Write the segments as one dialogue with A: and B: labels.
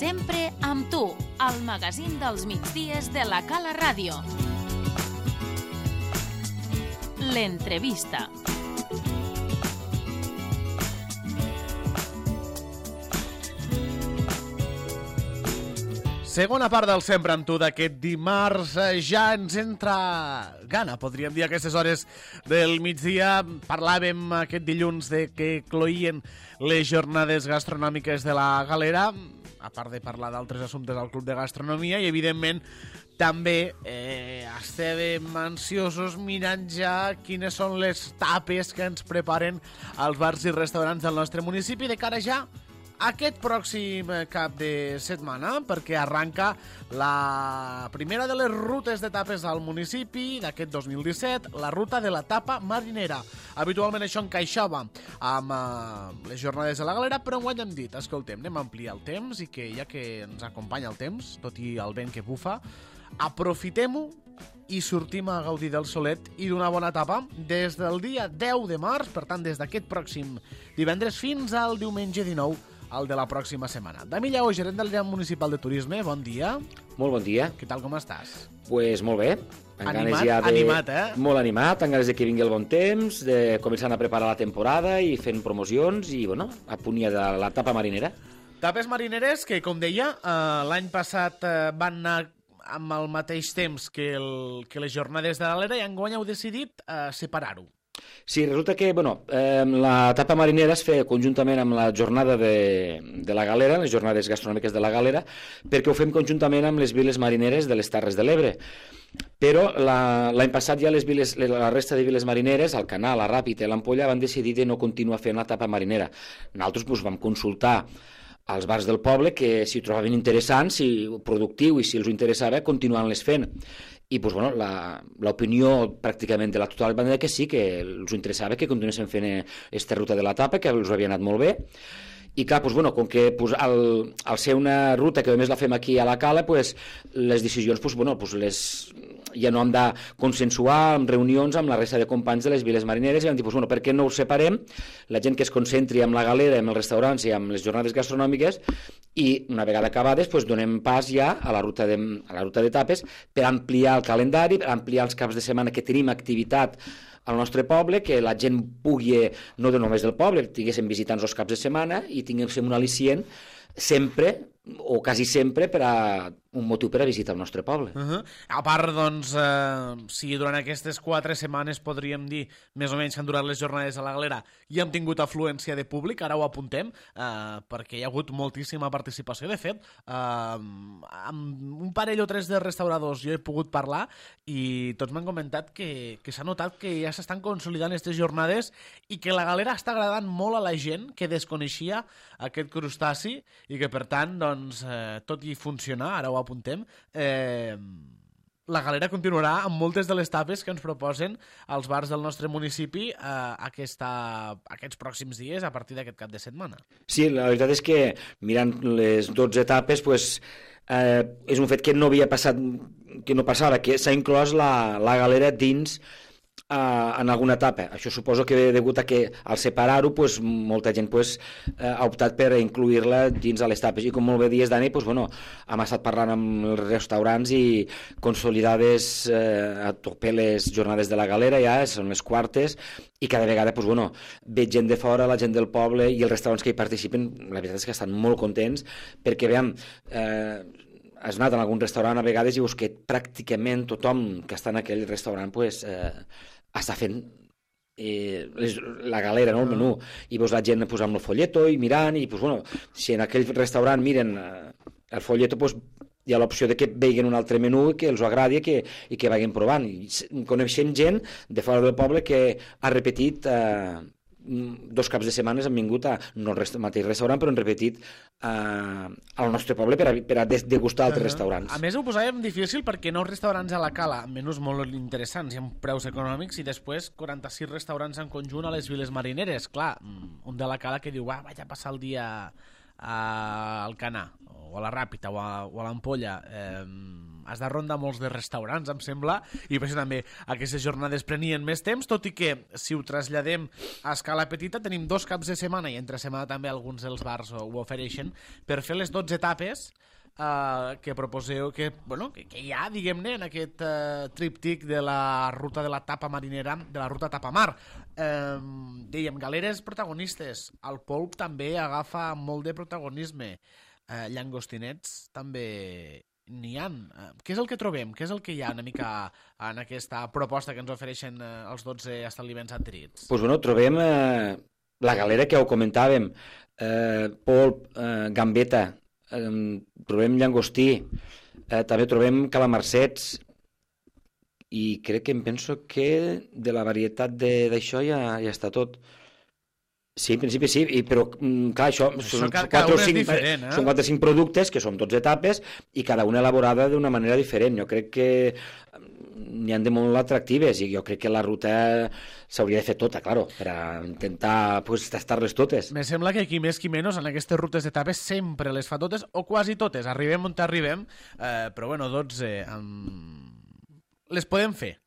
A: Sempre amb tu, al magazín dels migdies de la Cala Ràdio. L'entrevista.
B: Segona part del Sempre amb tu d'aquest dimarts. Ja ens entra gana, podríem dir, a aquestes hores del migdia. Parlàvem aquest dilluns de que cloïen les jornades gastronòmiques de la Galera, a part de parlar d'altres assumptes al Club de Gastronomia, i evidentment també estàvem ansiosos mirant ja quines són les tapes que ens preparen als bars i restaurants del nostre municipi de cara ja aquest pròxim cap de setmana, perquè arranca la primera de les rutes de tapes al municipi d'aquest 2017, la ruta de la tapa marinera. Habitualment això encaixava amb les jornades de la Galera, però enguany hem dit, escoltem, anem a ampliar el temps i que ja que ens acompanya el temps, tot i el vent que bufa, aprofitem-ho i sortim a gaudir del solet i d'una bona tapa des del dia 10 de març, per tant, des d'aquest pròxim divendres fins al diumenge 19 el de la pròxima setmana. Dami Lleó, gerent del Lleam Municipal de Turisme, bon dia.
C: Molt bon dia.
B: Què tal, com estàs?
C: Pues molt bé.
B: Animat,
C: Molt animat, amb ganes de que vingui el bon temps, de començar a preparar la temporada i fent promocions i, bueno, a punt ja de la tapa marinera.
B: Tapes marineres que, com deia, l'any passat van anar amb el mateix temps que les jornades de l'Alera i enguany heu decidit separar-ho.
C: Sí, resulta que la tapa marinera es feia conjuntament amb la jornada de la Galera, les jornades gastronòmiques de la Galera, perquè ho fem conjuntament amb les viles marineres de les Terres de l'Ebre. Però l'any passat ja la resta de viles marineres, el Canal, la Ràpita i l'Ampolla, van decidir de no continuar fent la tapa marinera. Nosaltres vam consultar als bars del poble que si ho trobaven interessant, si productiu i si els interessava, continuant-les fent. I l'opinió pràcticament de la totalitat era que sí, que els interessava que continuessin fent aquesta ruta de la tapa, que els havia anat molt bé. I clar, com que al ser una ruta que només la fem aquí a la Cala, les decisions ja no hem de consensuar en reunions amb la resta de companys de les viles marineres i vam dir, per què no ho separem, la gent que es concentri amb la Galera, amb els restaurants i amb les jornades gastronòmiques, i una vegada acabades donem pas ja a la ruta de tapes per ampliar el calendari, per ampliar els caps de setmana que tenim activitat al nostre poble, que la gent pugui, no només del poble, tinguéssim visitants els caps de setmana i tinguéssim un al·licient sempre o quasi sempre per a un motiu per a visitar el nostre poble.
B: A part, si durant aquestes 4 setmanes podríem dir més o menys que han durat les jornades a la Galera i hem tingut afluència de públic, ara ho apuntem, perquè hi ha hagut moltíssima participació. De fet, amb un parell o 3 de restauradors jo he pogut parlar i tots m'han comentat que s'ha notat que ja s'estan consolidant aquestes jornades i que la Galera està agradant molt a la gent que desconeixia aquest crustaci i que, per tant, tot i funcionar, ara ho apuntem, la Galera continuarà amb moltes de les tapes que ens proposen els bars del nostre municipi aquests pròxims dies a partir d'aquest cap de setmana.
C: Sí, la veritat és que mirant les 12 etapes és un fet que no havia passat, que no passava, que s'ha inclòs la Galera dins en alguna etapa. Això suposo que degut a que al separar-ho molta gent ha optat per incluir-la dins de les tapes i com molt bé dies, Dani, hem estat parlant amb els restaurants i consolidades a tope les jornades de la Galera, ja són les quartes i cada vegada veig gent de fora, la gent del poble i els restaurants que hi participen, la veritat és que estan molt contents perquè veiem has anat en algun restaurant a vegades i veus que pràcticament tothom que està en aquell restaurant està fent la Galera, el menú, i veus la gent amb el folleto i mirant, i si en aquell restaurant miren el folleto, hi ha l'opció de que vegin un altre menú i que els agradi i que vagin provant. Coneixem gent de fora del poble que ha repetit 2 caps de setmana han vingut no al mateix restaurant, però han repetit al nostre poble per a degustar altres restaurants.
B: A més, ho posàvem difícil perquè 9 restaurants a la Cala, amb menús molt interessants i amb preus econòmics, i després 46 restaurants en conjunt a les viles marineres. Clar, un de la Cala que diu, vaig a passar el dia al Canà, o a la Ràpita, o a l'Ampolla, has de rondar molts de restaurants, em sembla, i per això també aquestes jornades prenien més temps, tot i que si ho traslladem a escala petita tenim 2 caps de setmana i entre setmana també alguns dels bars ho ofereixen per fer les 12 etapes que proposeu, que hi ha, diguem-ne, en aquest tríptic de la ruta de la tapa marinera, de la ruta tapamar. Dèiem, galeres protagonistes, el polp també agafa molt de protagonisme, llangostinets també n'hi ha. Què és el que trobem? Què és el que hi ha una mica en aquesta proposta que ens ofereixen els 12 establiments adherits?
C: Doncs trobem la galera que ho comentàvem, polp, gambeta, trobem llangostí, també trobem calamarsets, i crec que em penso que de la varietat d'això ja està tot. Sí, en principi sí, però clar, això són 4 o 5 productes que són 12 etapes i cada una elaborada d'una manera diferent. Jo crec que n'hi ha de molt atractives i jo crec que la ruta s'hauria de fer tota, claro, per a intentar tastar-les totes.
B: Me sembla que qui més qui menys en aquestes rutes d'etapes sempre les fa totes o quasi totes. Arribem on arribem, però 12 les podem fer.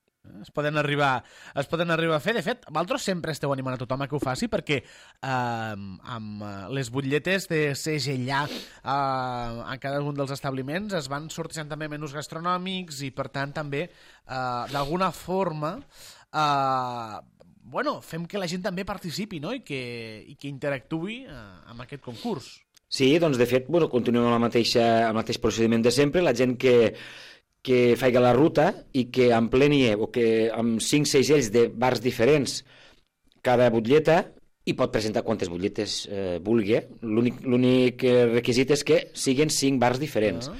B: Es poden arribar a fer. De fet, vosaltres sempre esteu animant a tothom a que ho faci perquè amb les butlletes de segellar a cada un dels establiments es van sortejant també menús gastronòmics i per tant també d'alguna forma fem que la gent també participi, no? I que interactuï amb aquest concurs.
C: Sí, doncs de fet continuem amb el mateix procediment de sempre. La gent que faig la ruta i que empleni o que amb 5 segells de bars diferents cada butlleta i pot presentar quantes butlletes vulgui. L'únic requisit és que siguin 5 bars diferents.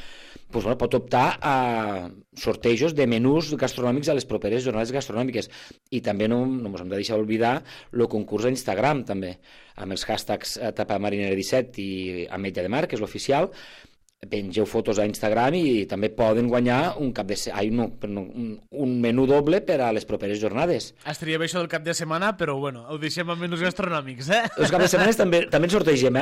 C: Pot optar a sortejos de menús gastronòmics a les properes jornades gastronòmiques. I també no ens hem de deixar oblidar el concurs a Instagram, també, amb els hashtags tapamarinera17 i Ametlla de Mar, que és l'oficial. Pengeu fotos a Instagram i també poden guanyar un menú doble per a les properes jornades.
B: Estaria bé això del cap de setmana, però ho deixem amb menús gastronòmics,
C: Els caps de setmana també en sortegem,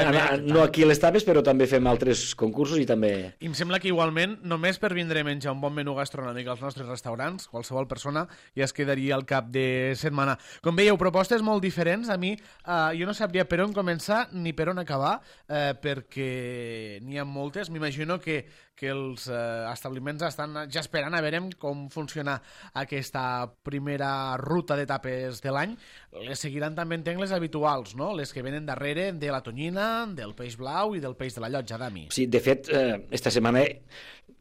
C: no aquí a les tapes, però també fem altres concursos i també...
B: I em sembla que igualment, només per vindre a menjar un bon menú gastronòmic als nostres restaurants, qualsevol persona ja es quedaria al cap de setmana. Com veieu, propostes molt diferents. A mi, jo no sabria per on començar ni per on acabar, perquè n'hi ha moltes. M'imagino que els establiments estan ja esperant a veure com funciona aquesta primera ruta d'etapes de l'any. Les seguiran també, entenc, les habituals, no? Les que venen darrere de la tonyina, del peix blau i del peix de la llotja, Dami.
C: Sí, de fet, esta setmana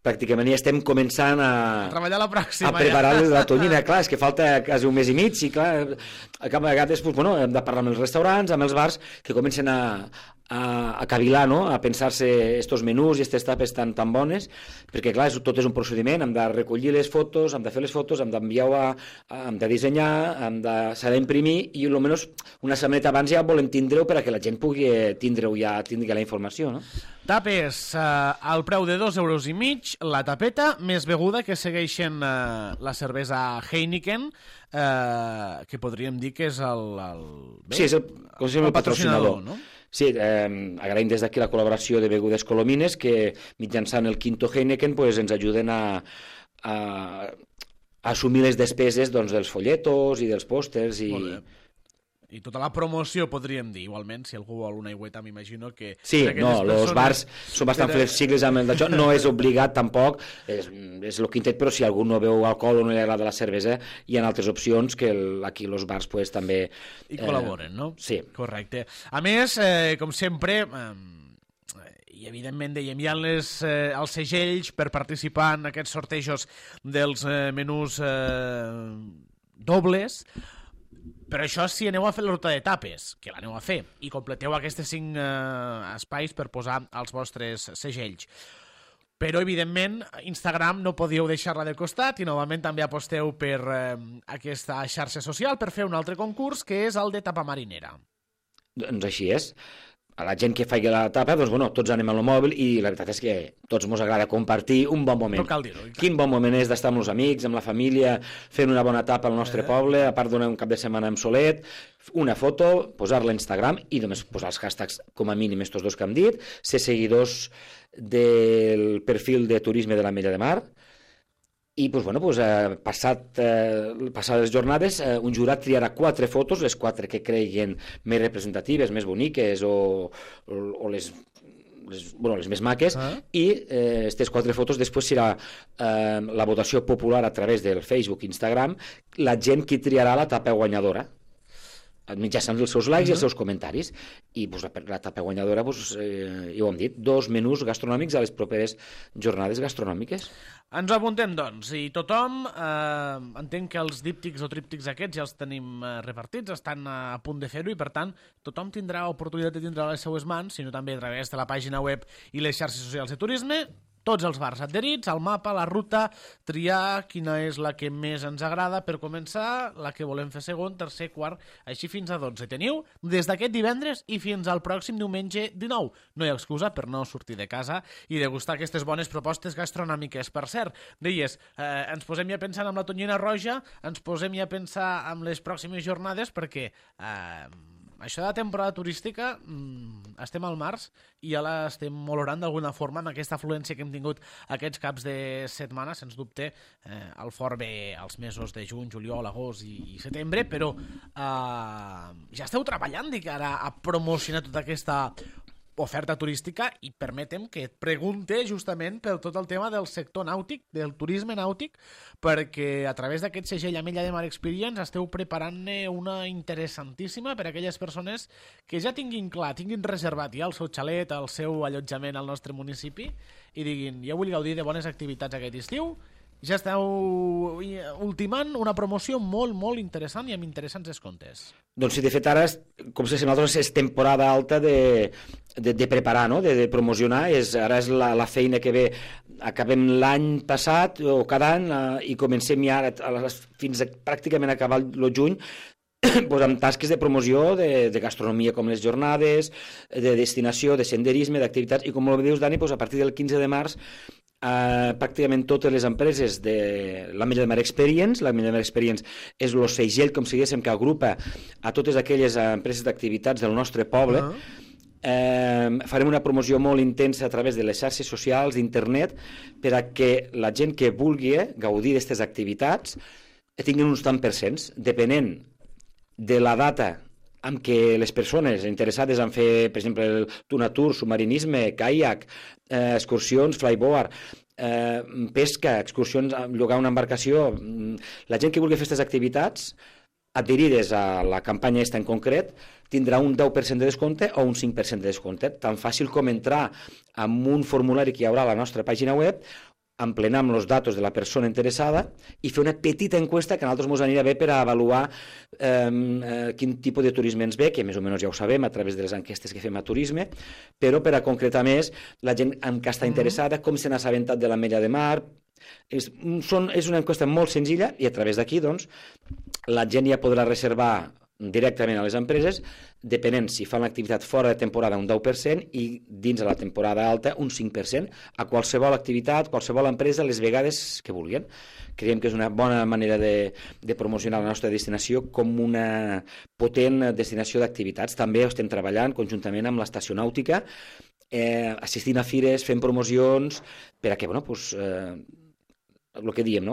C: pràcticament ja estem començant a
B: treballar la pròxima.
C: A preparar la tonyina. Clar, és que falta quasi un mes i mig i clar, a vegades hem de parlar amb els restaurants, amb els bars, que comencen a cavilar, no? A pensar-se estos menús i aquestes tapes tan bones, perquè clar, tot és un procediment, hem de recollir les fotos, hem de fer les fotos, hem d'enviar-ho, hem de dissenyar, s'ha d'imprimir i almenys una setmaneta abans ja volem tindre-ho per a que la gent pugui tindre-ho ja, tingui la informació, no?
B: Tapes al preu de 2,5 €, la tapeta, més beguda, que segueixen la cervesa Heineken, que podríem dir que és
C: sí, és el patrocinador, no? Sí, agraïm des d'aquí la col·laboració de Begudes Colomines que mitjançant el Quinto Heineken ens ajuden a assumir les despeses dels folletos i dels pòsters
B: i tota la promoció, podríem dir. Igualment, si algú vol una aigüeta, m'imagino que...
C: Sí, els bars són bastant flexibles amb d'això. No és obligat, tampoc. És el quintet, però si algú no veu alcohol o no li agrada la cervesa, hi ha altres opcions que aquí els bars també...
B: I col·laboren, no?
C: Sí.
B: Correcte. A més, com sempre... i evidentment dèiem, hi ha els segells per participar en aquests sortejos dels menús dobles, però això si aneu a fer la ruta d'etapes, que l'aneu a fer, i completeu aquests 5 espais per posar els vostres segells. Però, evidentment, Instagram no podíeu deixar-la de costat i novament també aposteu per aquesta xarxa social per fer un altre concurs, que és el de tapa marinera.
C: Doncs així és. A la gent que faci la tapa, tots anem al mòbil i la veritat és que tots ens agrada compartir un bon moment.
B: No cal dir-ho.
C: Quin bon moment és d'estar amb els amics, amb la família, fent una bona tapa al nostre poble, a part d'un cap de setmana amb solet, una foto, posar-la a Instagram i només posar els hashtags com a mínim estos 2 que hem dit, ser seguidors del perfil de turisme de l'Ametlla de Mar I passades les jornades, un jurat triarà 4 fotos, les 4 que creguin més representatives, més boniques o les més maques, i aquestes 4 fotos després serà la votació popular a través del Facebook i Instagram, la gent qui triarà la tapa guanyadora mitjançant els seus likes i els seus comentaris. I la etapa guanyadora, ja ho hem dit, 2 menús gastronòmics a les properes jornades gastronòmiques.
B: Ens ho apuntem, doncs, i tothom, entenc que els díptics o tríptics aquests ja els tenim repartits, estan a punt de fer-ho, i per tant tothom tindrà oportunitat de tindre a les seues mans, sinó també a través de la pàgina web i les xarxes socials de turisme, tots els bars adherits, al mapa, la ruta, triar quina és la que més ens agrada per començar, la que volem fer segon, tercer, quart, així fins a 12. Teniu des d'aquest divendres i fins al pròxim diumenge 19. No hi ha excusa per no sortir de casa i degustar aquestes bones propostes gastronòmiques. Per cert, deies, ens posem ja pensant amb la tonyina roja, ens posem ja a pensar amb les pròximes jornades, perquè això de la temporada turística, estem al març i ja l'estem olorant d'alguna forma amb aquesta afluència que hem tingut aquests caps de setmana. Sens dubte, el fort ve als mesos de juny, juliol, agost i setembre, però ja esteu treballant de cara a promocionar tota aquesta oferta turística, i permetem que et pregunte justament per tot el tema del sector nàutic, del turisme nàutic, perquè a través d'aquest segell Amella de Mar Experience esteu preparant-ne una interessantíssima per a aquelles persones que ja tinguin clar, tinguin reservat ja el seu xalet, el seu allotjament al nostre municipi, i diguin, jo vull gaudir de bones activitats aquest estiu. Ja esteu ultimant una promoció molt, molt interessant i amb interessants descomptes.
C: Doncs sí, de fet ara, com se nosaltres, és temporada alta de preparar, no? de promocionar. Ara és la feina que ve. Acabem l'any passat o cada any i comencem ja fins a pràcticament acabar el juny amb tasques de promoció de gastronomia, com les jornades, de destinació, de senderisme, d'activitats, i com ho dius, Dani, a partir del 15 de març pràcticament totes les empreses de l'Amella de Mar Experience. L'Amella de Mar Experience és el segell, com si diguéssim, que agrupa a totes aquelles empreses d'activitats del nostre poble. Farem una promoció molt intensa a través de les xarxes socials, d'internet, per a que la gent que vulgui gaudir d'aquestes activitats tinguin uns tant percents, depenent de la data amb què les persones interessades en fer, per exemple, el tuna tour, submarinisme, caiac, excursions, flyboard, pesca, excursions, llogar una embarcació, la gent que vulgui fer aquestes activitats adherides a la campanya en concret tindrà un 10% de descompte o un 5% de descompte. Tan fàcil com entrar amb un formulari que hi haurà a la nostra pàgina web, emplenar amb els datos de la persona interessada i fer una petita encuesta que a nosaltres ens anirà bé per a avaluar quin tipus de turisme ens ve, que més o menys ja ho sabem a través de les enquestes que fem a turisme, però per a concretar més la gent en què està interessada, com se n'ha assabentat de l'Amella de Mar. És una enquesta molt senzilla i a través d'aquí doncs, la gent ja podrà reservar directament a les empreses, depenent si fan l'activitat fora de temporada un 10% i dins de la temporada alta un 5%, a qualsevol activitat, qualsevol empresa, les vegades que vulguin. Creiem que és una bona manera de promocionar la nostra destinació com una potent destinació d'activitats. També estem treballant conjuntament amb l'estació nàutica, assistint a fires, fent promocions, per a que, el que diem,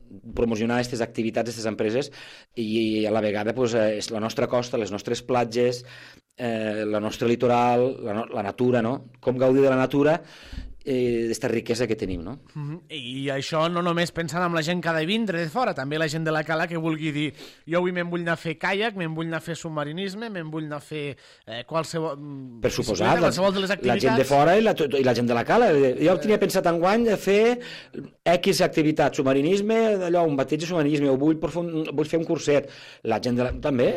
C: promocionar aquestes activitats, aquestes empreses, i a la vegada és la nostra costa, les nostres platges, el nostre litoral, la natura, com gaudir de la natura, d'esta riquesa que tenim, no?
B: I això no només pensant en la gent que ha de vindre de fora, també la gent de la cala que vulgui dir, jo avui me'n vull anar a fer caiac, me'n vull anar a fer submarinisme, me'n vull anar a fer qualsevol...
C: Per suposat,
B: qualsevol de les activitats.
C: La gent de fora i la gent de la cala. Jo tenia pensat enguany de fer X activitat, submarinisme, allò, un bateig de submarinisme, o vull fer un curset. La gent de la... també...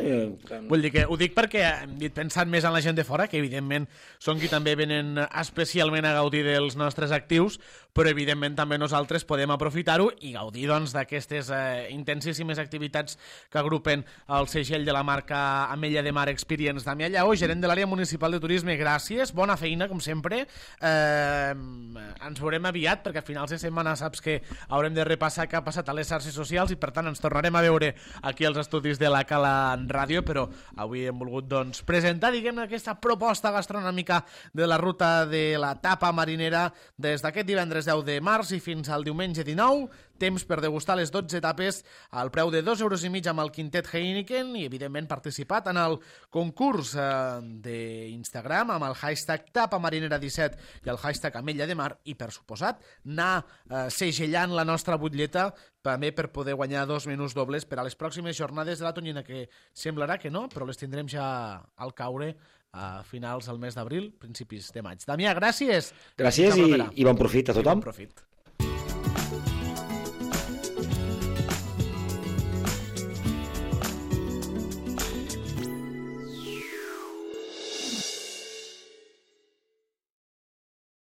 B: Vull dir que ho dic perquè hem dit pensant més en la gent de fora, que evidentment són qui també venen especialment a gaudir dels nostres actius, però evidentment també nosaltres podem aprofitar-ho i gaudir doncs d'aquestes intensíssimes activitats que agrupen el segell de la marca Amella de Mar Experience. Damià Lleó, gerent de l'àrea municipal de turisme, gràcies, bona feina com sempre. Ens veurem aviat perquè a finals de setmana saps que haurem de repassar què ha passat a les xarxes socials i per tant ens tornarem a veure aquí als estudis de la Cala en Ràdio, però avui hem volgut doncs presentar, diguem, aquesta proposta gastronòmica de la ruta de la tapa marinera serà des d'aquest divendres 10 de març i fins al diumenge 19, temps per degustar les 12 etapes al preu de 2,5 euros amb el quintet Heineken i, evidentment, participat en el concurs d'Instagram amb el hashtag tapamarinera17 i el hashtag Ametlla de Mar i, per suposat, anar segellant la nostra butlleta també per poder guanyar 2 menús dobles per a les pròximes jornades de la Tonyina, que semblarà que no, però les tindrem ja al caure a finals del mes d'abril, principis de maig. Damià, gràcies.
C: Gràcies i bon profit a tothom.
B: Bon profit.